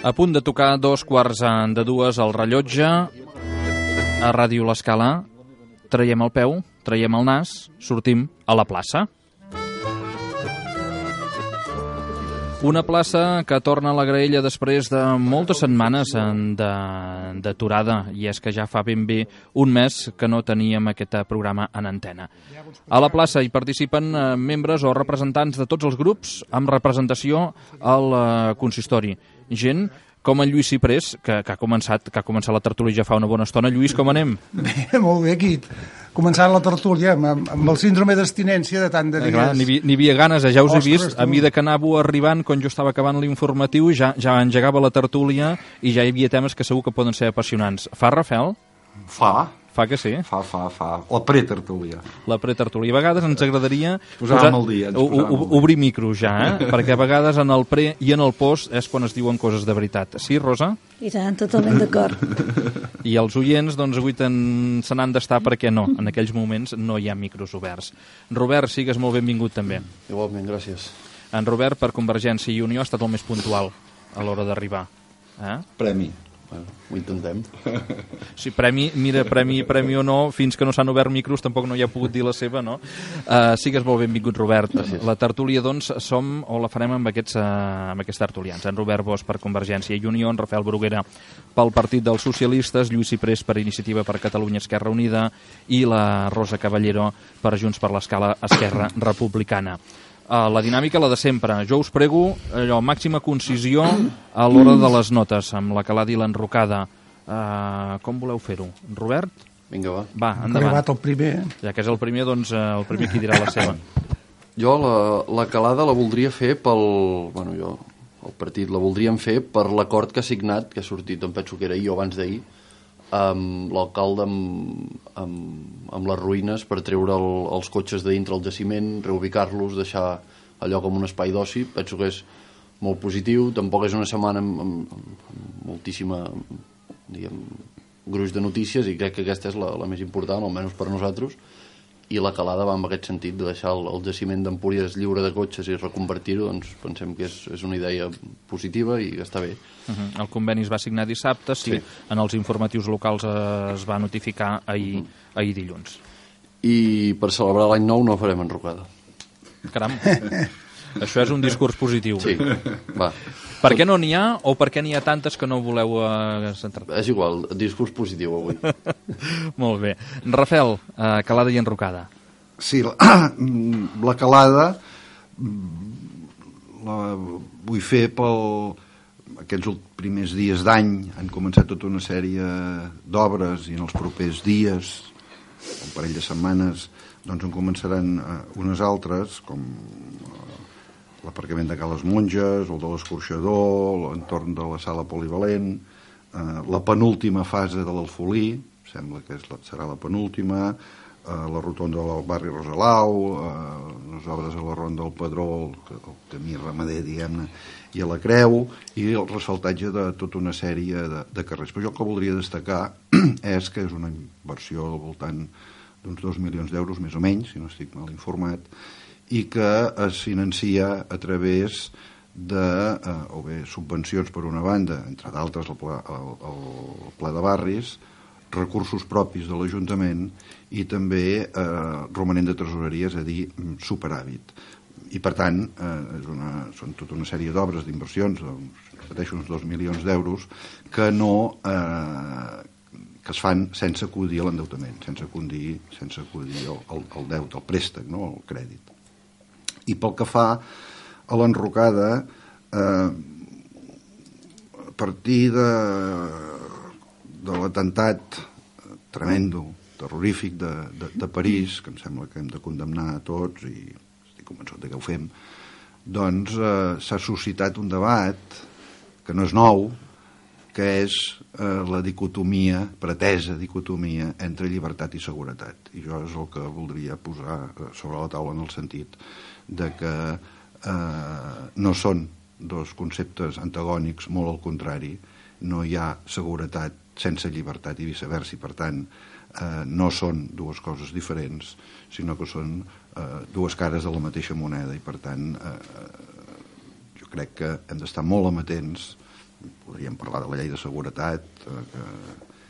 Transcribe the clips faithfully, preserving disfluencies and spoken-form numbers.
A punt de tocar dos quarts de dues al rellotge, a Ràdio L'Escala, traiem el peu, traiem el nas, sortim a la plaça. Una plaça que torna a la graella després de moltes setmanes d'aturada, i és que ja fa ben bé un mes que no teníem aquest programa en antena. A la plaça hi participen membres o representants de tots els grups amb representació al consistori. Gent com en Lluís Ciprés, que, que, ha començat, que ha començat la tertúlia ja fa una bona estona. Lluís, com anem? Bé, molt bé, aquí. Començant la tertúlia amb, amb el síndrome d'abstinència de tant de dies. Eh, N'hi hi havia ganes, eh? Ja us he vist. A mesura que anàveu arribant, quan jo estava acabant l'informatiu, ja, ja engegava la tertúlia i ja hi havia temes que segur que poden ser apassionants. Fa, Rafel? Fa. Fa que sí? Fa, fa, fa. La pretertúlia. La pretertúlia. A vegades ens agradaria posar, el dia, ens o, o, obrir micros ja, eh? Perquè a vegades en el pre i en el post és quan es diuen coses de veritat. Sí, Rosa? I tant, totalment d'acord. I els oients, doncs, avui se n'han d'estar perquè no. En aquells moments no hi ha micros oberts. Robert, sigues molt benvingut també. Igualment, gràcies. En Robert, per Convergència i Unió, ha estat el més puntual a l'hora d'arribar. Eh? Premi. Bueno, ho intentem. Sí, premi, mira, premi, premi o no, fins que no s'han obert micros tampoc no hi ha pogut dir la seva, no? Uh, sigues molt benvingut, Robert. Gràcies. La tertúlia, doncs, som o la farem amb aquests, uh, amb aquests tertulians. En Robert Bosch per Convergència i Unió, en Rafael Bruguera pel Partit dels Socialistes, Lluís Ciprés per Iniciativa per Catalunya Esquerra Unida i la Rosa Caballero per Junts per l'Escala Esquerra Republicana. Uh, la dinàmica, la de sempre. Jo us prego allò, màxima concisió a l'hora de les notes, amb la calada i l'enrocada. Uh, com voleu fer-ho? Robert? Vinga, va. Va, endavant. Ha arribat el primer. Ja que és el primer, doncs uh, el primer qui dirà la seva. Jo la, la calada la voldria fer pel... Bueno, jo, el partit la voldríem fer per l'acord que ha signat, que ha sortit, em penso que era ahir o abans d'ahir, amb l'alcalde amb, amb, amb les ruïnes per treure el, els cotxes de dintre el jaciment, reubicar-los, deixar allò com un espai d'oci. Penso que és molt positiu. Tampoc és una setmana amb, amb, amb moltíssima, diguem, gruix de notícies, i crec que aquesta és la, la més important, almenys per nosaltres, i la calada va en aquest sentit de deixar el, el jaciment d'Empúries lliure de cotxes i reconvertir-ho. Doncs pensem que és, és una idea positiva i que està bé. Uh-huh. El conveni es va signar dissabte, sí, sí. En els informatius locals es va notificar ahir, uh-huh. ahir dilluns. I per celebrar l'any nou no farem enrocada. Caram, això és un discurs positiu. Sí, va. Per què no n'hi ha o per què n'hi ha tantes que no voleu uh, centrar? És igual, discurs positiu avui. Molt bé. Rafel, uh, calada i enrocada. Sí, la, la calada la vull fer pel... Aquests primers dies d'any han començat tota una sèrie d'obres i en els propers dies, un parell de setmanes, doncs en començaran uh, unes altres, com l'aparcament de Cales Monges, el de l'escorxador, l'entorn de la sala polivalent, eh, la penúltima fase de l'Alfolí, sembla que és la, serà la penúltima, eh, la rotonda del barri Rosalau, eh, les obres a la ronda del Pedró, el, el camí ramader, diguem-ne, i a la Creu, i el ressaltatge de tota una sèrie de, de carrers. Però jo el que voldria destacar és que és una inversió al voltant d'uns dos milions d'euros, més o menys, si no estic mal informat, i que es financia a través de, eh, o bé, subvencions per una banda, entre d'altres el, pla, el, el Pla de Barris, recursos propis de l'Ajuntament i també eh, romanent de tresoreria, és a dir, superàvit. I, per tant, eh, és una, són tota una sèrie d'obres, d'inversions, doncs, repeteixo, uns dos milions d'euros, que no... Eh, que es fan sense acudir a l'endeutament, sense acudir, sense acudir al, al, al deute, al préstec, no? Al crèdit. I pel que fa a l'enrocada, eh, a partir de, de l'atemptat tremendo, terrorífic de, de, de París, que em sembla que hem de condemnar a tots, i estic convençut que ho fem, doncs eh, s'ha suscitat un debat que no és nou, que és eh, la dicotomia, pretesa dicotomia entre llibertat i seguretat. I jo és el que voldria posar sobre la taula en el sentit de que eh, no són dos conceptes antagònics, molt al contrari. No hi ha seguretat sense llibertat i viceversa, i per tant eh, no són dues coses diferents, sinó que són eh, dues cares de la mateixa moneda, i per tant eh, jo crec que hem d'estar molt amatents. Podríem parlar de la llei de seguretat, eh, que,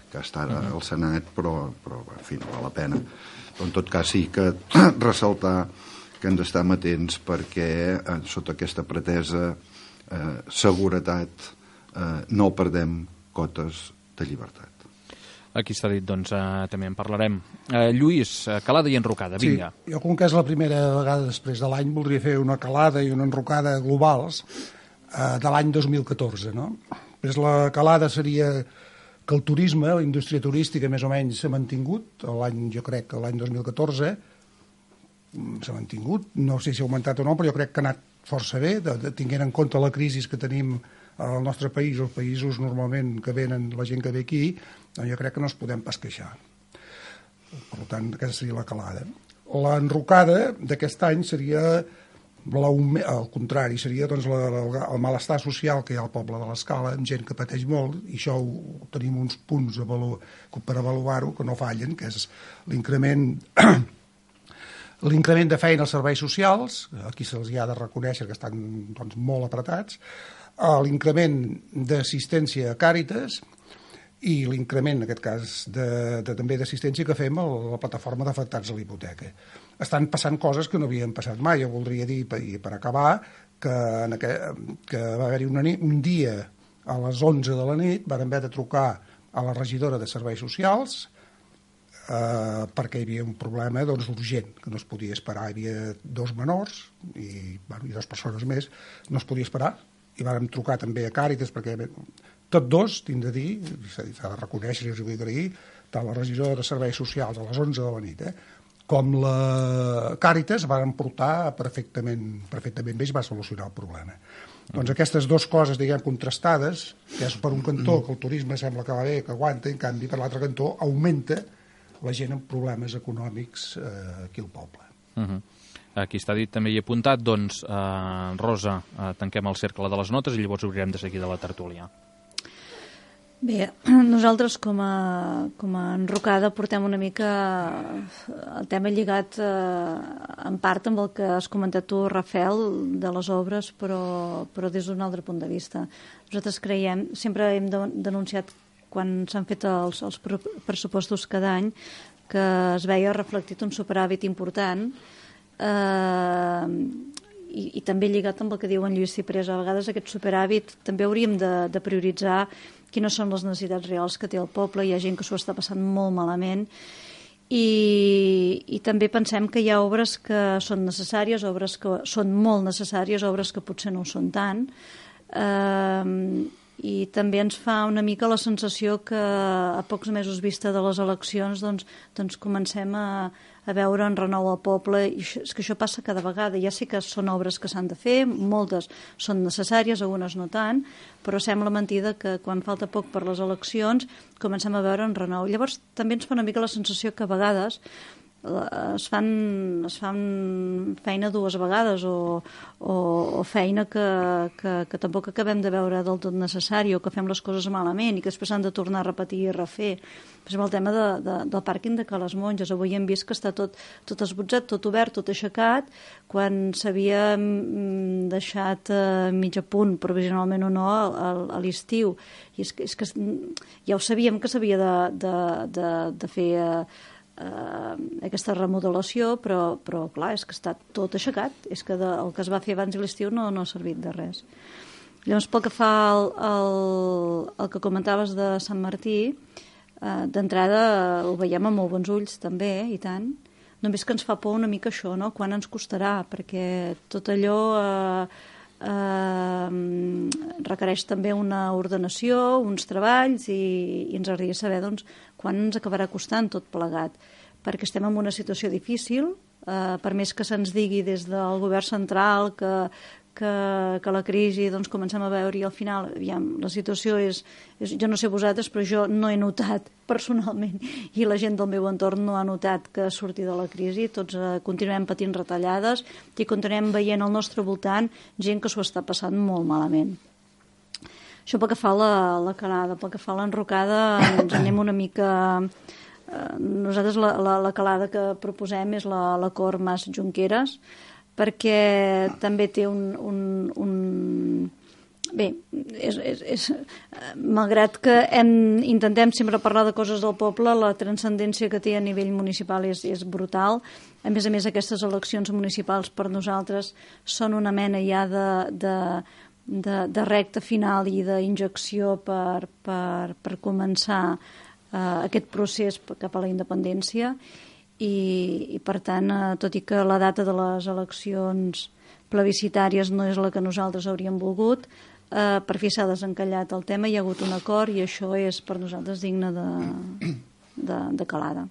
que està ara al Senat, però, però en fi, no val la pena. Però en tot cas sí que ressaltar que hem d'estar amatents perquè eh, sota aquesta pretesa eh, seguretat eh, no perdem cotes de llibertat. Aquí està dit, doncs eh, també en parlarem. Eh, Lluís, eh, calada i enrocada, vinga. Sí, jo com que és la primera vegada després de l'any voldria fer una calada i una enrocada globals eh, de l'any dos mil catorze, no? Pues la calada seria que el turisme, la indústria turística més o menys s'ha mantingut, l'any, jo crec que l'any dos mil catorze s'ha mantingut, no sé si ha augmentat o no, però jo crec que ha anat força bé, de, de, tinguent en compte la crisi que tenim al nostre país, els països normalment que venen, la gent que ve aquí, doncs jo crec que no ens podem pas queixar. Per tant, aquesta seria la calada. L'enrocada d'aquest any seria al contrari, seria doncs, la, la, el malestar social que hi ha al poble de l'Escala, amb gent que pateix molt, i això ho, tenim uns punts avalu, per avaluar-ho que no fallen, que és l'increment l'increment de feina als serveis socials, aquí se'ls ha de reconèixer que estan doncs, molt apretats, l'increment d'assistència a Càritas i l'increment, en aquest cas, de, de, també d'assistència que fem a la plataforma d'afectats a la hipoteca. Estan passant coses que no havien passat mai. Jo voldria dir, per, per acabar, que, en aquest, que va haver-hi una nit, un dia a les onze de la nit van haver de trucar a la regidora de Serveis Socials eh, perquè hi havia un problema doncs, urgent, que no es podia esperar. Hi havia dos menors i, bueno, i dues persones més, no es podia esperar, i vàrem trucar també a Càritas perquè tots dos, tinc de dir, s'ha de reconèixer i us ho vull agrair, tant la regidora de Serveis Socials a les onze de la nit, eh, com la Càritas van portar perfectament, perfectament bé i va solucionar el problema. Mm. Doncs aquestes dues coses, diguem, contrastades, que és per un cantó que el turisme sembla que va bé, que aguanta, en canvi, per l'altre cantó, augmenta la gent amb problemes econòmics eh, aquí al poble. Uh-huh. Aquí està dit, també hi he apuntat, doncs, eh, Rosa, eh, tanquem el cercle de les notes i llavors obrirem de seguida la tertúlia. Bé, nosaltres com a, com a enrocada portem una mica el tema lligat eh, en part amb el que has comentat tu, Rafael, de les obres, però, però des d'un altre punt de vista. Nosaltres creiem, sempre hem denunciat quan s'han fet els, els pressupostos cada any que es veia reflectit un superàvit important eh, i, i també lligat amb el que diu en Lluís Ciprés. A vegades aquest superàvit també hauríem de, de prioritzar quines són les necessitats reals que té el poble. Hi ha gent que s'ho està passant molt malament i, i també pensem que hi ha obres que són necessàries, obres que són molt necessàries, obres que potser no ho són tant, eh, i també ens fa una mica la sensació que a pocs mesos vista de les eleccions doncs, doncs comencem a, a veure en renou al poble, i això, és que això passa cada vegada. Ja sé que són obres que s'han de fer, moltes són necessàries, algunes no tant, però sembla mentida que quan falta poc per les eleccions comencem a veure en renou. Llavors també ens fa una mica la sensació que a vegades es fan, es fan feina dues vegades o, o, o feina que, que, que tampoc acabem de veure del tot necessari, o que fem les coses malament i que després s'han de tornar a repetir i refer. Per exemple, el tema de, de, del pàrquing de Ca les Monges. Avui hem vist que està tot, tot esbotzat, tot obert, tot aixecat, quan s'havia deixat a mig a punt, provisionalment o no, a, a l'estiu. I és que, és que ja ho sabíem que s'havia de, de, de, de fer Uh, aquesta remodelació, però, però clar, és que està tot aixecat, és que de, el que es va fer abans de l'estiu no, no ha servit de res. Llavors, pel que fa al, al, al que comentaves de Sant Martí, uh, d'entrada uh, ho veiem amb molt bons ulls també, i tant, només que ens fa por una mica això, no? Quan ens costarà, perquè tot allò uh, Uh, requereix també una ordenació, uns treballs, i, i ens agradaria saber doncs, quan ens acabarà costant tot plegat, perquè estem en una situació difícil, uh, per més que se'ns digui des del govern central que, que, que la crisi doncs, comencem a veure, i al final aviam, la situació és, és, jo no sé vosaltres, però jo no he notat personalment, i la gent del meu entorn no ha notat que surti de la crisi. Tots eh, continuem patint retallades i continuem veient al nostre voltant gent que s'ho està passant molt malament. Això pel que fa a la, la calada. Pel que fa a l'enrocada ens anem una mica nosaltres la, la, la calada que proposem és la, la Cor Mas Junqueras, perquè també té un... un, un bé, és, és, és, malgrat que hem, intentem sempre parlar de coses del poble, la transcendència que té a nivell municipal és, és brutal. A més a més, aquestes eleccions municipals per nosaltres són una mena ja de, de, de, de recta final i d'injecció per, per, per començar eh, aquest procés cap a la independència i, i per tant, eh, tot i que la data de les eleccions plebiscitàries no és la que nosaltres hauríem volgut, eh, per fi s'ha desencallat el tema, hi ha hagut un acord i això és per nosaltres digne de, de, de calada.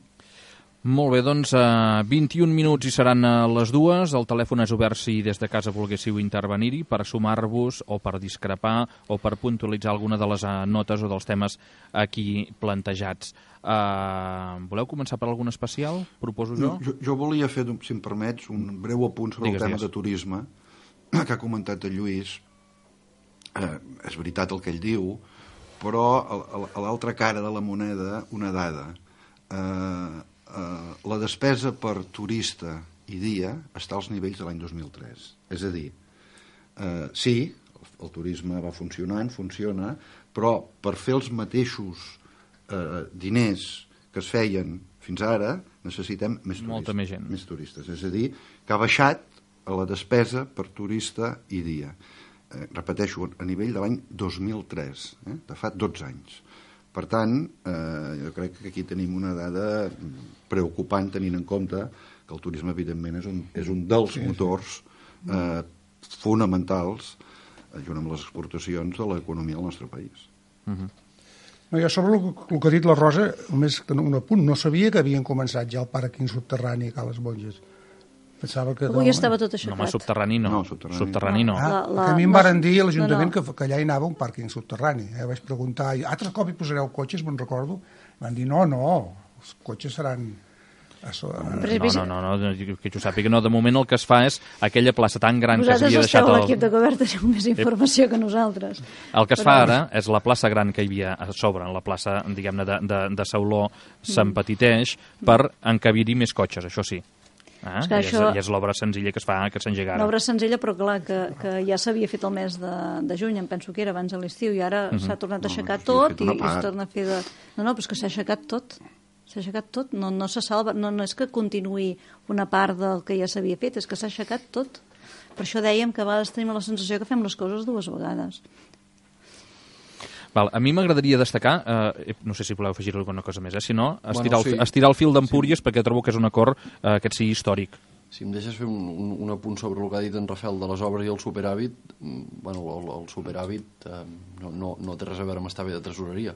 Molt bé, doncs uh, vint-i-un minuts i seran uh, les dues. El telèfon és obert si des de casa volguéssiu intervenir-hi per sumar-vos o per discrepar o per puntualitzar alguna de les uh, notes o dels temes aquí plantejats. Uh, voleu començar per algun especial? Proposo jo? No, jo, jo volia fer, si em permets, un breu apunt sobre digues, el tema digues. de turisme que ha comentat el Lluís. Eh, és veritat el que ell diu, però a, a l'altra cara de la moneda una dada. Eh, Uh, la despesa per turista i dia està als nivells de l'any dos mil tres. És a dir, uh, sí, el, el turisme va funcionant, funciona, però per fer els mateixos uh, diners que es feien fins ara necessitem més turistes. Molta més gent. Més turistes. És a dir, que ha baixat a la despesa per turista i dia. Uh, repeteixo, a nivell de l'any dos mil tres, eh? De fa dotze anys. Per tant, eh, jo crec que aquí tenim una dada preocupant tenint en compte que el turisme, evidentment, és un, és un dels motors eh, fonamentals, eh, junt amb les exportacions, de l'economia del nostre país. Uh-huh. No, jo sobre el, el que ha dit la Rosa, només un apunt, no sabia que havien començat ja el pàrquing subterrani a les Monges. Pensava que... Avui estava tot aixecat. No, home, subterrani no. No, subterrani. Subterrani no. Ah, La- la- que a mi em no, varen dir a l'Ajuntament no, no. que, que allà hi anava un pàrquing subterrani. Eh? Vaig preguntar, i altre cop hi posareu cotxes, me'n recordo. Van dir, no, no, els cotxes seran... A so... No, no, no, no, que jo sàpiga, no, de moment el que es fa és aquella plaça tan gran que Vosaltres s'havia deixat... esteu a El... l'equip de govern, teniu més informació que nosaltres. El que es fa ara és la plaça gran que hi havia a sobre, la plaça, diguem-ne, de, de, de Sauló, s'empetiteix per encabir-hi més cotxes, això sí. Ah, És que i, això- és, I és l'obra senzilla que es fa, que s'engega Una ara. obra senzilla, però clar, que, que ja s'havia fet el mes de, de juny, em penso que era abans de l'estiu, i ara Mhm. s'ha tornat a No, aixecar s'havia tot fet i, una i es part. torna a fer de... No, no, però és que s'ha aixecat tot. S'ha aixecat tot, no, no se salva, no, no és que continuï una part del que ja s'havia fet, és que s'ha aixecat tot. Per això dèiem que a vegades tenim la sensació que fem les coses dues vegades. Val, a mi m'agradaria destacar, eh, no sé si voleu afegir alguna cosa més, eh? Si no, estirar, Bueno, sí. el, estirar el fil d'Empúries, sí, perquè trobo que és un acord eh, que sigui històric. Si em deixes fer un, un, un apunt sobre el que ha dit en Rafael de les obres i el superàvit, mm, bueno, el, el superàvit eh, no, no, no té res a veure amb estar bé de tresoreria.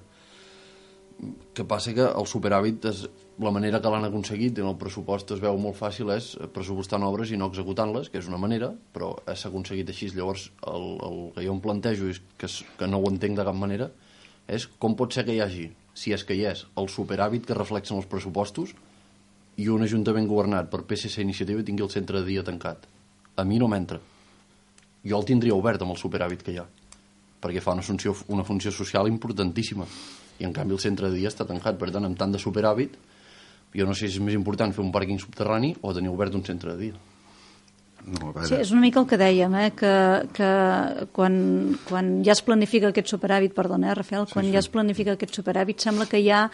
Que passa que el superàvit, és, la manera que l'han aconseguit en el pressupost es veu molt fàcil, és pressupostant obres i no executant-les, que és una manera, però s'ha aconseguit així. Llavors, el, el que jo em plantejo, és que, és, que no ho entenc de cap manera, és com pot ser que hi hagi, si és que hi és, el superàvit que reflexen els pressupostos i un ajuntament governat per P S C Iniciativa tingui el centre de dia tancat. A mi no m'entra. Jo el tindria obert amb el superàvit que hi ha, perquè fa una funció, una funció social importantíssima, i en canvi el centre de dia està tancat. Per tant, amb tant de superàvit, jo no sé si és més important fer un pàrquing subterrani o tenir obert un centre de dia. No, a veure, Sí, és una mica el que dèiem, eh? que, que quan, quan ja es planifica aquest superàvit, perdona, eh, Rafael, quan sí, sí. ja es planifica aquest superàvit, sembla que ja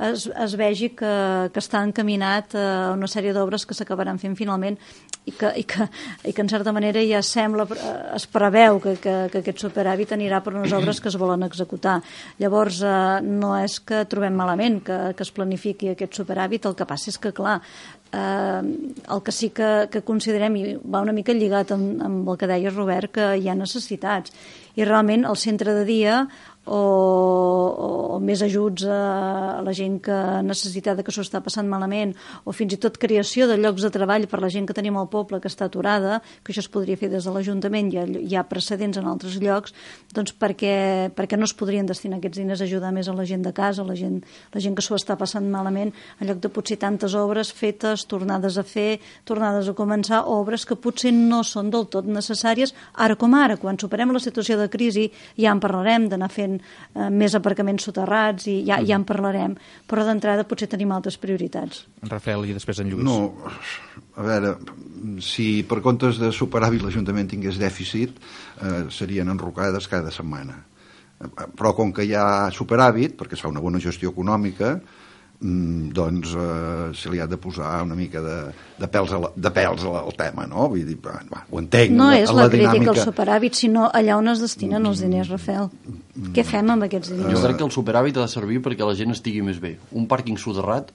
es, es vegi que, que està encaminat a una sèrie d'obres que s'acabaran fent finalment i que, i, que, i que en certa manera ja sembla, es preveu que, que, que aquest superàvit anirà per unes obres que es volen executar. Llavors, eh, no és que trobem malament que, que es planifiqui aquest superàvit, el que passa és que, clar, eh, el que sí que, que considerem, i va una mica lligat amb, amb el que deia Robert, que hi ha necessitats. I realment el centre de dia o, o, o més ajuts a, a la gent que necessita que s'ho està passant malament, o fins i tot creació de llocs de treball per la gent que tenim al poble que està aturada, que això es podria fer des de l'Ajuntament, hi ha, hi ha precedents en altres llocs, doncs perquè, perquè no es podrien destinar aquests diners a ajudar més a la gent de casa, la gent, la gent que s'ho està passant malament, en lloc de potser tantes obres fetes, tornades a fer, tornades a començar, obres que potser no són del tot necessàries, ara com ara, quan superem la situació de crisi, ja en parlarem d'anar fent evidentment, eh, més aparcaments soterrats i ja, ja en parlarem, però d'entrada potser tenim altres prioritats. En Rafael i després en Lluís. No, a veure, si per comptes de superàvit l'Ajuntament tingués dèficit, eh, serien enrocades cada setmana. Però com que hi ha superàvit, perquè es fa una bona gestió econòmica, doncs eh, se li ha de posar una mica de, de pèls, a la, de pèls al tema, no? Vull dir, va, ho entenc. No la, és la, la crítica dinàmica... al superàvit, sinó allà on es destinen els diners, Rafael. Mm. Què fem amb aquests diners? Jo crec que el superàvit ha de servir perquè la gent estigui més bé. Un pàrquing soterrat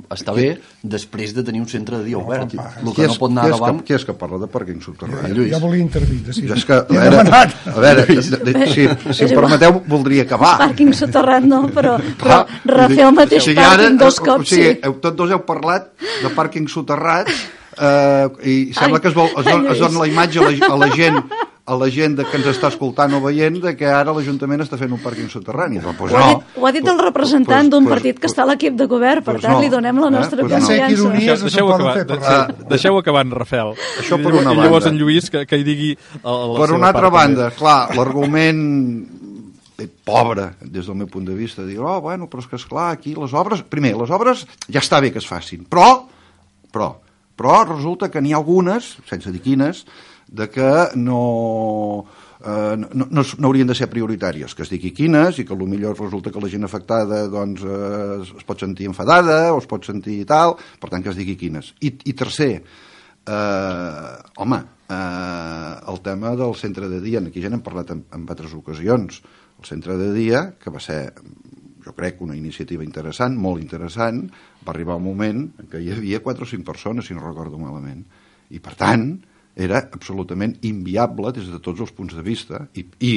està bé després de tenir un centre de dia obert. El que no pot anar davant... Qui és que parla de pàrquing soterrat? Jo, jo volia intervindre, sí. Jo és que, a veure, a veure de, de, si, si em permeteu, voldria acabar. Pàrquing soterrat no, però, però Rafael mateix pàrquing dos cops, sí. O sigui, tots dos heu parlat de pàrquing soterrat eh, i sembla que es, vol, es, don, es dona la imatge a la, a la gent a la gent que ens està escoltant o veient de que ara l'Ajuntament està fent un pàrquing soterrani. Doncs, pues ho, ha dit, no. ho ha dit el representant pues, d'un pues, partit que està a l'equip de govern, per pues tant no. li donem la nostra eh? pues confiança. Ja sé que ironies Deixeu, no se'n poden fer acabar, parlar. Deixeu acabar en Rafael. Això per I, una I llavors banda. en Lluís que, que hi digui la, la per una altra part, banda, també. Clar, l'argument pobre, des del meu punt de vista, dir, oh, bueno, però és que esclar, aquí les obres... Primer, les obres ja està bé que es facin, però, però, però resulta que n'hi ha algunes, sense dir quines, de que no... Uh, no, no, no haurien de ser prioritàries, que es digui quines i que potser resulta que la gent afectada doncs, uh, es pot sentir enfadada o es pot sentir tal, per tant que es digui quines. I, i tercer, uh, home, uh, el tema del centre de dia, aquí ja n'hem parlat en, en altres ocasions, el centre de dia, que va ser, jo crec, una iniciativa interessant, molt interessant, va arribar un moment en què hi havia quatre o cinc persones, si no recordo malament, i per tant era absolutament inviable des de tots els punts de vista i, i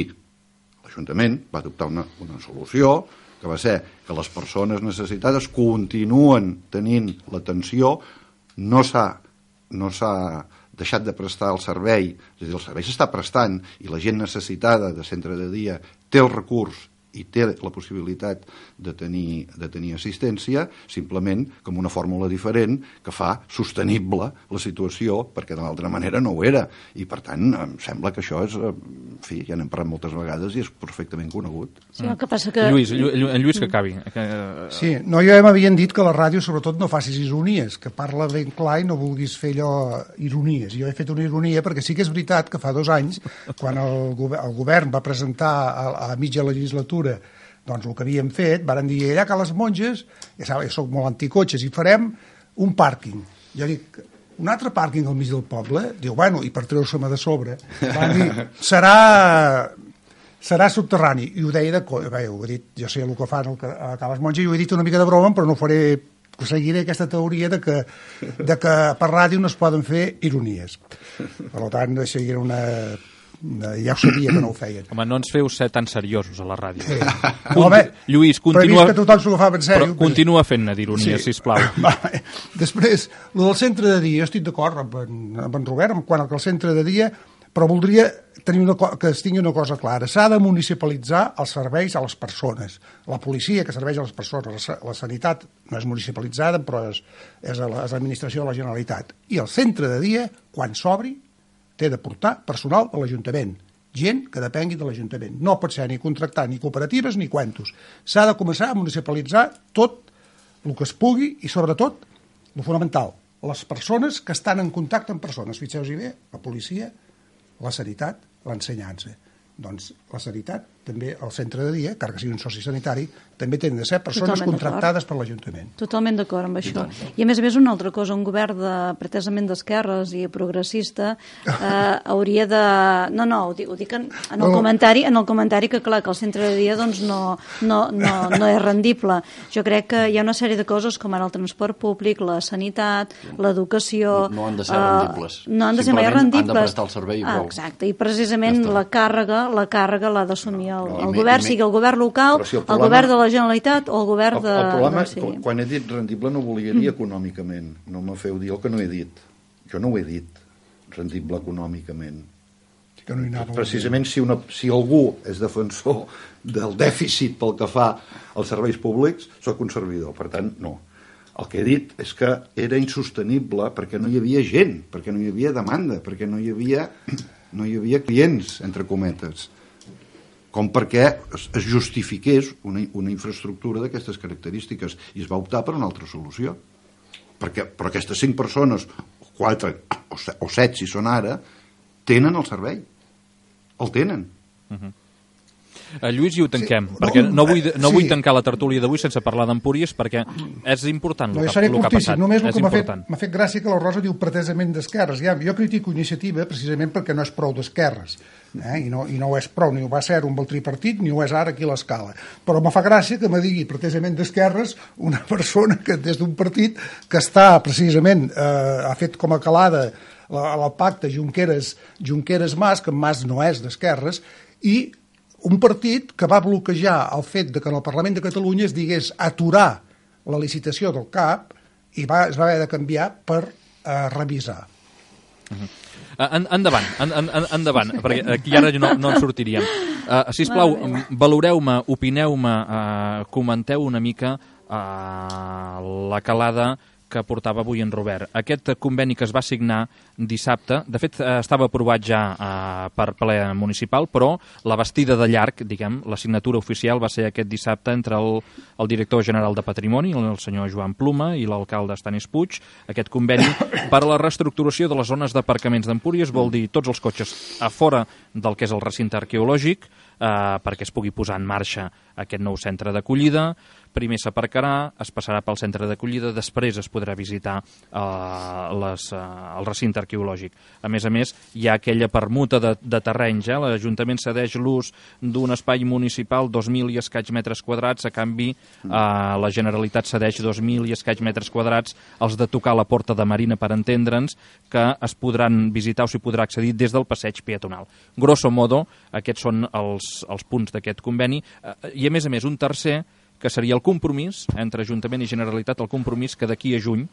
l'Ajuntament va adoptar una, una solució que va ser que les persones necessitades continuen tenint l'atenció, no s'ha no s'ha deixat de prestar el servei, és a dir, el servei s'està prestant i la gent necessitada de centre de dia té el recurs i té la possibilitat de tenir, de tenir assistència, simplement com una fórmula diferent que fa sostenible la situació, perquè de l'altra manera no ho era. I, per tant, em sembla que això és... En fi, ja n'hem parlat moltes vegades i és perfectament conegut. Sí, el que passa que... Lluís, Llu, en Lluís que acabi. Que... Sí, no, jo ja m'havien dit que la ràdio sobretot no facis ironies, que parla ben clar i no vulguis fer allò ironies. Jo he fet una ironia perquè sí que és veritat que fa dos anys, quan el, govern, el govern va presentar a, a mitja legislatura doncs el que havíem fet, varen dir allà que les monges, ja sabeu, jo soc molt anticotxes, i farem un pàrquing. Jo dic, un altre pàrquing al mig del poble? Diu, bueno, i per treure-se-me de sobre, van dir, serà, serà subterrani. I ho deia de coi, bé, ho he dit, jo sé el que fan el, a les monges, i ho he dit una mica de broma, però no faré, seguiré aquesta teoria de que, de que per ràdio no es poden fer ironies. Per tant, això era una... ja ho sabia que no ho feien. Home, no ens feu ser tan seriosos a la ràdio. Sí. Conti... Home, Lluís, continua... Però he vist que tothom s'ho agafava en sèrio. Però continua fent-ne d'ironia, sí. Sisplau. Va, després, el del centre de dia, jo estic d'acord amb, en, amb en Robert, quan el centre de dia, però voldria tenir una, que es tingui una cosa clara. S'ha de municipalitzar els serveis a les persones. La policia, que serveix a les persones, la, la sanitat no és municipalitzada, però és, és l'administració de la Generalitat. I el centre de dia, quan s'obri, té de portar personal de l'Ajuntament, gent que depengui de l'Ajuntament. No pot ser ni contractar ni cooperatives ni cuentos. S'ha de començar a municipalitzar tot el que es pugui i, sobretot, el fonamental, les persones que estan en contacte amb persones. Fixeu-vos bé, la policia, la sanitat, l'ensenyança. Doncs la sanitat, també el centre de dia, car que sigui un soci sanitari, també tenen de ser persones Totalment contractades per l'Ajuntament. Totalment d'acord amb això. I, I a més a més una altra cosa, un govern de, pretesament d'esquerres i progressista eh, hauria de... No, no, ho dic, ho dic en, en, el comentari, en el comentari que clar, que el centre de dia doncs, no, no, no, no és rendible. Jo crec que hi ha una sèrie de coses com ara el transport públic, la sanitat, l'educació... No, no han de ser rendibles. Uh, no han de ser mai rendibles. Han de prestar el servei i prou. Ah, exacte, i precisament ja la càrrega la càrrega l'ha d'assumir el, no, el mi, govern, mi, sigui el govern local, si el, problema, el govern de la Generalitat o el govern de... El, el problema, no, sí. quan he dit rendible no volia dir mm. econòmicament, no me feu dir el que no he dit. Jo no ho he dit, rendible econòmicament. Que no hi anava Precisament si, una, si algú és defensor del dèficit pel que fa als serveis públics, soc un servidor, per tant, no. El que he dit és que era insostenible perquè no hi havia gent, perquè no hi havia demanda, perquè no hi havia, no hi havia clients, entre cometes. com perquè es, es justifiqués una, una infraestructura d'aquestes característiques, i es va optar per una altra solució. Perquè, però aquestes cinc persones, quatre o set, o set si són ara, tenen el servei. El tenen. Uh-huh. Uh, Lluís, i ho tanquem, sí, perquè no, no, vull, no sí. vull tancar la tertúlia d'avui sense parlar d'Empúries, perquè és important el, no, que, el que ha passat. Només el és que m'ha fet, important. m'ha fet gràcia que la Rosa diu pretesament d'esquerres. Ja, jo critico Iniciativa precisament perquè no és prou d'esquerres, eh? I, no, i no ho és prou, ni ho va ser un pel tripartit, ni ho és ara aquí a l'Escala. Però me fa gràcia que me digui pretesament d'esquerres una persona que des d'un partit que està precisament, eh, ha fet com a calada el pacte Junqueras, Junqueras-Mas, que Mas no és d'esquerres, i un partit que va bloquejar el fet de que en el Parlament de Catalunya es digués aturar la licitació del C A P i va, es va haver de canviar per eh, revisar. Uh-huh. En, endavant, en, en, endavant, perquè aquí ara no, no en sortiríem. Uh, sisplau, valoreu-me, opineu-me, uh, comenteu una mica uh, la calada que portava avui en Robert. Aquest conveni que es va signar dissabte, de fet estava aprovat ja eh, per ple municipal, però la bastida de llarg, diguem, la signatura oficial va ser aquest dissabte entre el, el director general de Patrimoni, el senyor Joan Pluma, i l'alcalde Estanis Puig. Aquest conveni per a la reestructuració de les zones d'aparcaments d'Empúries vol dir tots els cotxes a fora del que és el recinte arqueològic, eh, perquè es pugui posar en marxa aquest nou centre d'acollida. Primer s'aparcarà, es passarà pel centre d'acollida, després es podrà visitar eh, les, eh, el recinte arqueològic. A més a més, hi ha aquella permuta de, de terrenys. Eh? L'Ajuntament cedeix l'ús d'un espai municipal, dos mil i escaig metres quadrats, a canvi eh, la Generalitat cedeix dos mil i escaig metres quadrats, els de tocar la Porta de Marina, per entendre'ns, que es podran visitar o s'hi podrà accedir des del passeig peatonal. Grosso modo, aquests són els, els punts d'aquest conveni. Eh, I a més a més, un tercer, que seria el compromís entre Ajuntament i Generalitat, el compromís que d'aquí a juny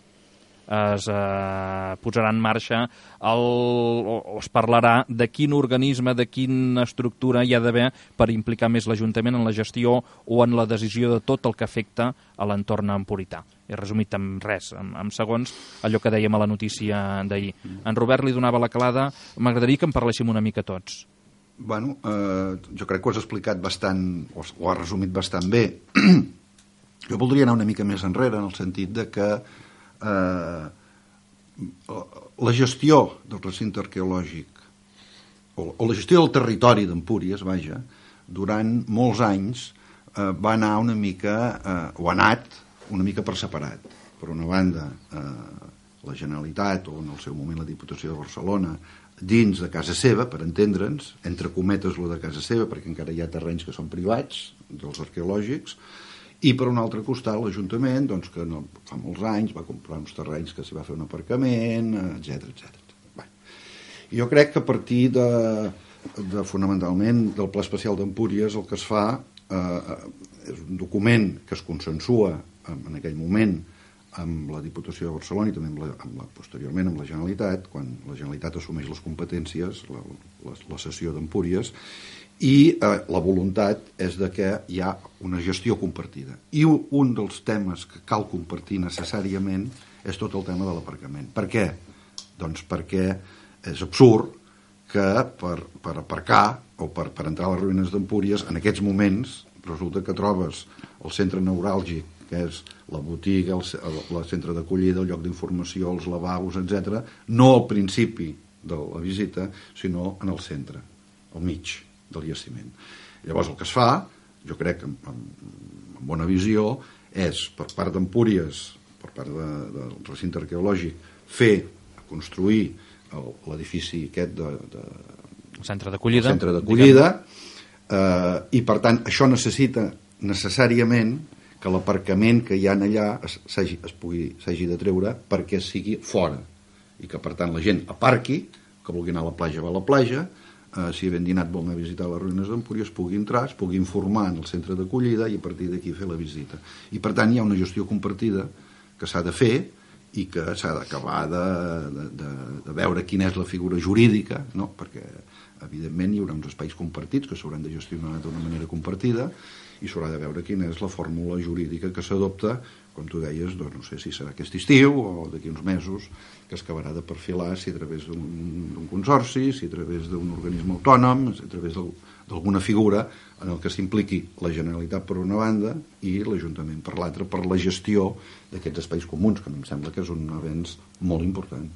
es eh, posarà en marxa el, o, o es parlarà de quin organisme, de quina estructura hi ha d'haver per implicar més l'Ajuntament en la gestió o en la decisió de tot el que afecta a l'entorn empurità. He resumit en res, en, en segons, allò que dèiem a la notícia d'ahir. En Robert li donava la calada, m'agradaria que en parléssim una mica tots. Bueno, eh, jo crec que ho has explicat bastant, o ho has resumit bastant bé. Jo voldria anar una mica més enrere, en el sentit de que eh, la gestió del recinte arqueològic, o, o la gestió del territori d'Empúries, vaja, durant molts anys eh, va anar una mica, eh, o ha anat una mica per separat. Per una banda, eh, la Generalitat, o en el seu moment la Diputació de Barcelona, dins de casa seva, per entendre'ns, entre cometes lo de casa seva, perquè encara hi ha terrenys que són privats, dels arqueològics, i per un altre costat l'Ajuntament, doncs, que no, fa molts anys va comprar uns terrenys que s'hi va fer un aparcament, etcètera, etcètera. Bé. Jo crec que a partir de, de fonamentalment del Pla Especial d'Empúries el que es fa eh, és un document que es consensua en aquell moment amb la Diputació de Barcelona i també amb la, amb la, posteriorment amb la Generalitat, quan la Generalitat assumeix les competències, la, la, la cessió d'Empúries, i eh, la voluntat és de que hi ha una gestió compartida. I un dels temes que cal compartir necessàriament és tot el tema de l'aparcament. Per què? Doncs perquè és absurd que per, per aparcar o per, per entrar a les ruïnes d'Empúries, en aquests moments resulta que trobes el centre neuràlgic, que és la botiga, el, el, el centre d'acollida, el lloc d'informació, els lavabos, etcètera, no al principi de la visita, sinó en el centre, al mig del jaciment. Llavors el que es fa, jo crec que amb, amb bona visió, és per part d'Empúries, per part de, del recinte arqueològic, fer, construir l'edifici aquest de, de, centre d'acollida, centre d'acollida eh, i per tant això necessita necessàriament que l'aparcament que hi ha allà s'hagi es pugui s'hagi de treure perquè sigui fora i que per tant la gent aparqui, que vulgui anar a la platja va a la platja, eh, si ben dinat vol anar a visitar les ruïnes d'Empúries pugui entrar, es pugui informar en el centre d'acollida i a partir d'aquí fer la visita. I per tant hi ha una gestió compartida que s'ha de fer i que s'ha d'acabar de, de, de, de veure quina és la figura jurídica, no? Perquè evidentment hi haurà uns espais compartits que s'hauran de gestionar d'una manera compartida i s'haurà de veure quina és la fórmula jurídica que s'adopta com tu deies, doncs no sé si serà aquest estiu o d'aquí uns mesos, que es acabarà de perfilar si a través d'un consorci, si a través d'un organisme autònom, si a través d'alguna figura en el que s'impliqui la Generalitat per una banda i l'Ajuntament per l'altra, per la gestió d'aquests espais comuns, que a mi em sembla que és un avenç molt important.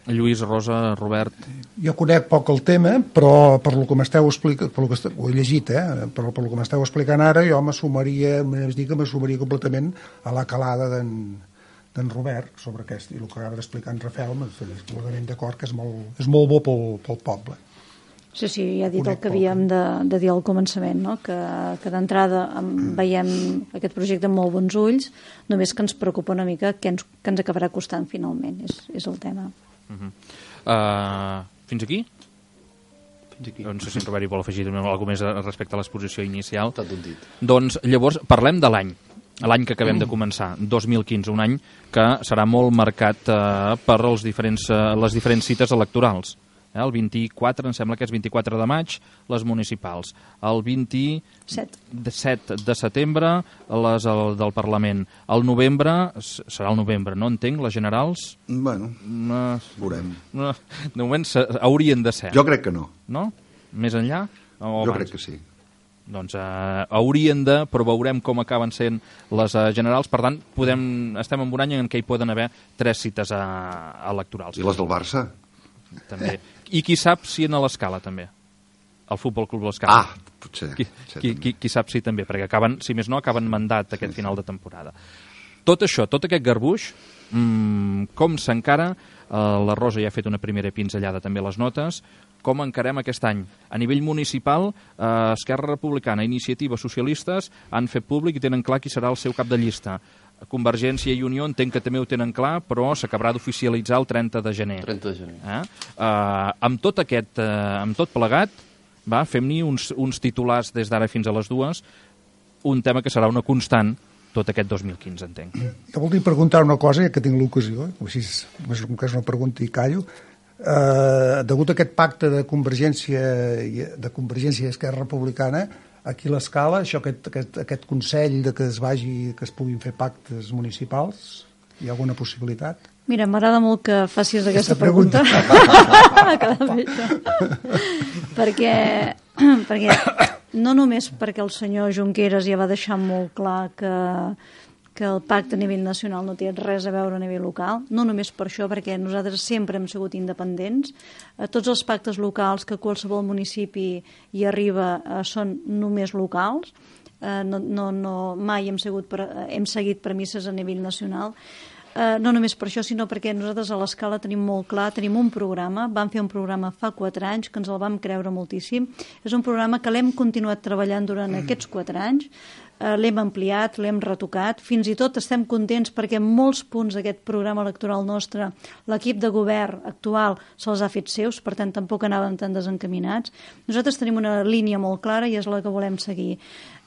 Lluís, Rosa, Robert... Jo conec poc el tema, però per lo que m'esteu explicant, per lo que esteu, ho he llegit, eh? però per lo que m'esteu explicant ara, jo m'assumaria, m'has dit que m'assumaria completament a la calada d'en Robert sobre aquest, i el que acaba d'explicar en Rafael, m'estic completament d'acord que és molt, és molt bo pel, pel poble. Sí, sí, ja he dit el que havíem de, de dir al començament, no? que, que d'entrada veiem aquest projecte amb molt bons ulls, només que ens preocupa una mica què ens, què ens acabarà costant finalment, és, és el tema. Uh-huh. uh, fins aquí? Fins aquí. No sé si en Robert hi vol afegir alguna cosa més respecte a l'exposició inicial. Tot un dit. Doncs llavors parlem de l'any, l'any que acabem de començar, dos mil quinze, un any que serà molt marcat uh, per els diferents, uh, les diferents cites electorals. Eh, el vint-i-quatre, em sembla que és vint-i-quatre de maig, les municipals. El vint-i-set de setembre, les el, del Parlament. El novembre, serà el novembre, no entenc, les generals? Bueno, no, veurem. No, de moment haurien de ser. Jo crec que no. No? Més enllà? O jo abans? crec que sí. Doncs eh, haurien de, però veurem com acaben sent les eh, generals. Per tant, podem, estem en un any en què hi poden haver tres cites eh, electorals. I les del Barça? També. I qui sap si en l'Escala també, el Futbol Club l'Escala. Ah, potser. Qui, potser qui, qui, qui sap si també, perquè acaben, si més no, acaben mandat aquest sí, final sí. de temporada. Tot això, tot aquest garbuix, mmm, com s'encara, eh, la Rosa ja ha fet una primera pinzellada també a les notes, com encarem aquest any? A nivell municipal, eh, Esquerra Republicana, Iniciativa, Socialistes han fet públic i tenen clar qui serà el seu cap de llista. Convergència i Unió entenc que també ho tenen clar, però s'acabarà d'oficialitzar el trenta de gener. trenta de gener. Eh? Uh, amb tot aquest, uh, amb tot plegat, va, fem-n'hi uns, uns titulars des d'ara fins a les dues, un tema que serà una constant tot aquest dos mil quinze, entenc. Jo voldria preguntar una cosa, ja que tinc l'ocasió, així és una pregunta i callo. Uh, degut a aquest pacte de Convergència i, de Convergència i Esquerra Republicana, aquí a l'Escala, això, aquest, aquest, aquest consell de que es vagi, que es puguin fer pactes municipals, hi ha alguna possibilitat? Mira, m'agrada molt que facis aquesta, aquesta pregunta. perquè, perquè no només perquè el senyor Junqueras ja va deixar molt clar que, que el pacte a nivell nacional no té res a veure a nivell local, no només per això, perquè nosaltres sempre hem sigut independents. Eh, tots els pactes locals que qualsevol municipi hi arriba eh, són només locals, eh, no, no, no, mai hem, sigut per, hem seguit premisses a nivell nacional. Eh, no només per això, sinó perquè nosaltres a l'Escala tenim molt clar, tenim un programa, vam fer un programa fa quatre anys, que ens el vam creure moltíssim. És un programa que l'hem continuat treballant durant aquests quatre anys, Uh, l'hem ampliat, l'hem retocat, fins i tot estem contents perquè en molts punts d'aquest programa electoral nostre l'equip de govern actual se'ls ha fet seus, per tant tampoc anàvem tan desencaminats. Nosaltres tenim una línia molt clara i és la que volem seguir.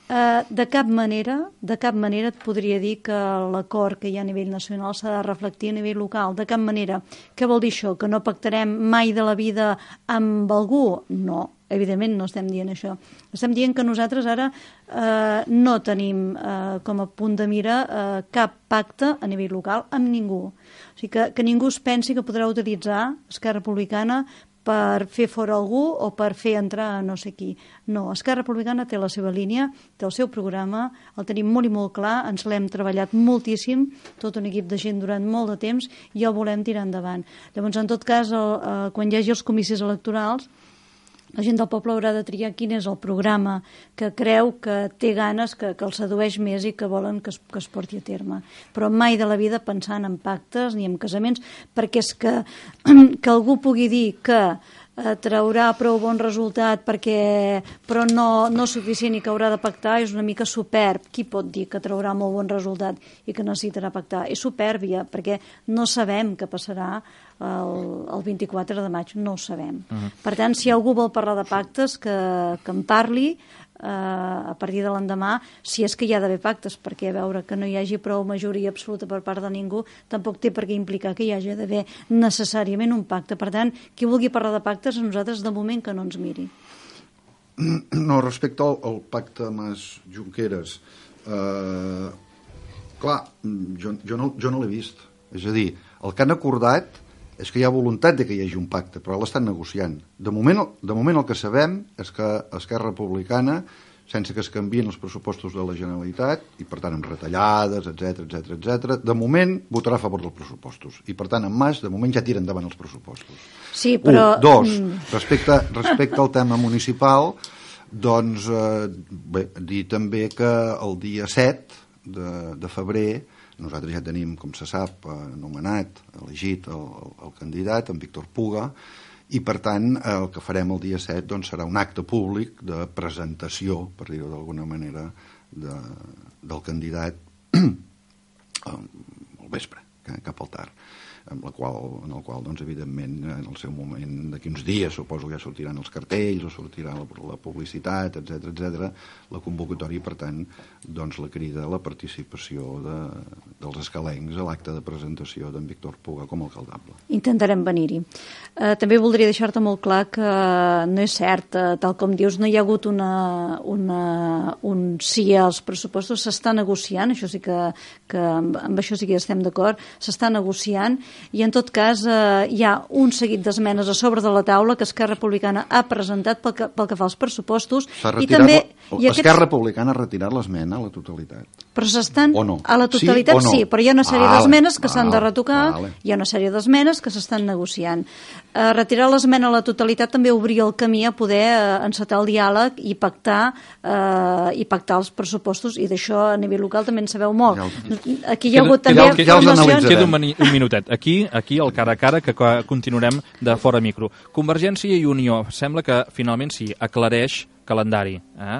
Uh, de cap manera, de cap manera et podria dir que l'acord que hi ha a nivell nacional s'ha de reflectir a nivell local, de cap manera. Què vol dir això? Que no pactarem mai de la vida amb algú? No. Evidentment no estem dient això. Estem dient que nosaltres ara eh, no tenim eh, com a punt de mira eh, cap pacte a nivell local amb ningú. O sigui que, que ningú es pensi que podrà utilitzar Esquerra Republicana per fer fora algú o per fer entrar a no sé qui. No, Esquerra Republicana té la seva línia, té el seu programa, el tenim molt i molt clar, ens l'hem treballat moltíssim, tot un equip de gent durant molt de temps i el volem tirar endavant. Llavors, en tot cas, el, eh, quan hi hagi els comicis electorals, la gent del poble haurà de triar quin és el programa que creu que té ganes, que, que el sedueix més i que volen que es, que es porti a terme. Però mai de la vida pensant en pactes ni en casaments, perquè és que, que algú pugui dir que eh, traurà prou bon resultat perquè, però no, no suficient i que haurà de pactar és una mica superb. Qui pot dir que traurà molt bon resultat i que necessitarà pactar? És supèrbia, perquè no sabem què passarà el, el vint-i-quatre de maig, no ho sabem. Uh-huh. Per tant, si algú vol parlar de pactes, que, que en parli eh, a partir de l'endemà, si és que hi ha d'haver pactes, perquè a veure que no hi hagi prou majoria absoluta per part de ningú, tampoc té per què implicar que hi hagi d'haver necessàriament un pacte. Per tant, qui vulgui parlar de pactes, a nosaltres de moment que no ens miri. No, respecte al, al pacte Mas-Junqueras, eh, Clar, jo, jo no, jo no l'he vist. És a dir, el que han acordat és que hi ha voluntat de que hi hagi un pacte, però l'estan negociant. De moment, de moment el que sabem és que Esquerra Republicana, sense que es canvien els pressupostos de la Generalitat, i per tant amb retallades, etc etc etc, de moment votarà a favor dels pressupostos. I per tant, en Mas, de moment ja tira endavant els pressupostos. Sí, però... Un, dos, respecte, respecte al tema municipal, doncs, eh, bé, dir també que el dia set de, de febrer nosaltres ja tenim, com se sap, anomenat, elegit el, el, el candidat, en Víctor Puga, i per tant el que farem el dia set doncs, serà un acte públic de presentació, per dir-ho d'alguna manera, de, del candidat al vespre, cap al tard, en, la qual, en el qual, doncs, evidentment, en el seu moment, d'aquí uns dies, suposo que ja sortiran els cartells, o sortirà la, la publicitat, etc etc, la convocatòria, i per tant, doncs, la crida a la participació de, dels escalencs a l'acte de presentació d'en Víctor Puga com a alcaldable. Intentarem venir-hi. Eh, també voldria deixar-te molt clar que no és cert, eh, tal com dius, no hi ha hagut una, una, un sí als pressupostos, s'està negociant, això sí que, que amb, amb això sí que estem d'acord, s'està negociant, i en tot cas eh, hi ha un seguit d'esmenes a sobre de la taula que Esquerra Republicana ha presentat pel que, pel que fa als pressupostos. I també i Esquerra aquests... Republicana ha retirat l'esmena a la totalitat. Però s'estan no? a la totalitat sí, no? sí, però hi ha una sèrie vale, d'esmenes que s'han de retocar, vale. Hi ha una sèrie d'esmenes que s'estan negociant. Eh, retirar l'esmena a la totalitat també obria el camí a poder eh, encetar el diàleg i pactar eh, i pactar els pressupostos, i d'això a nivell local també en sabeu molt. Aquí hi ha hagut també formacions... Queda un, un minutet. Aquí, aquí el cara a cara, que continuarem de fora micro. Convergència i Unió, sembla que finalment sí, aclareix calendari. Eh?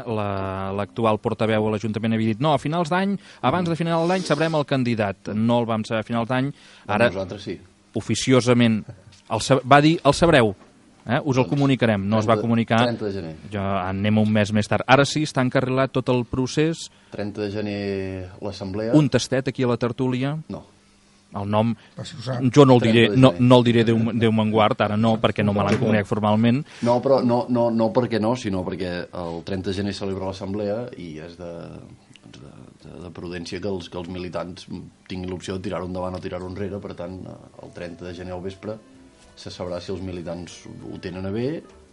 L'actual la, portaveu a l'Ajuntament havia dit no, a finals d'any, abans de final d'any sabrem el candidat. No el vam saber a finals d'any. Ara, nosaltres sí. Oficiosament, el, va dir el sabreu. Eh? Us el comunicarem. No es va comunicar. trenta de gener. Ja anem un mes més tard. Ara sí, està encarrilat tot el procés. trenta de gener l'assemblea. Un tastet aquí a la tertúlia. No. El nom, jo no el diré, no, no el diré Déu, Déu me'n guard, ara no, perquè no me l'han comunicat formalment. No, però no, no, no perquè no, sinó perquè el trenta de gener celebra l'assemblea i és de, de, de, de prudència que els, que els militants tinguin l'opció de tirar-ho endavant o tirar-ho enrere. Per tant, el trenta de gener al vespre se sabrà si els militants ho tenen a bé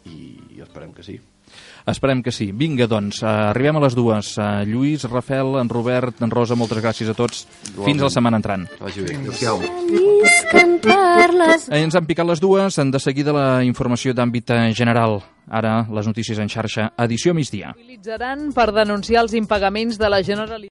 i esperem que sí. Esperem que sí. Vinga, doncs, arribem a les dues. Lluís, Rafel, en Robert, en Rosa, moltes gràcies a tots. Fins a la setmana entrant. Vagi bé. Adéu-siau. Ens han picat les dues. De seguida la informació d'àmbit general. Ara, les notícies en xarxa, edició migdia. Utilitzaran per denunciar els impagaments de la Generalitat.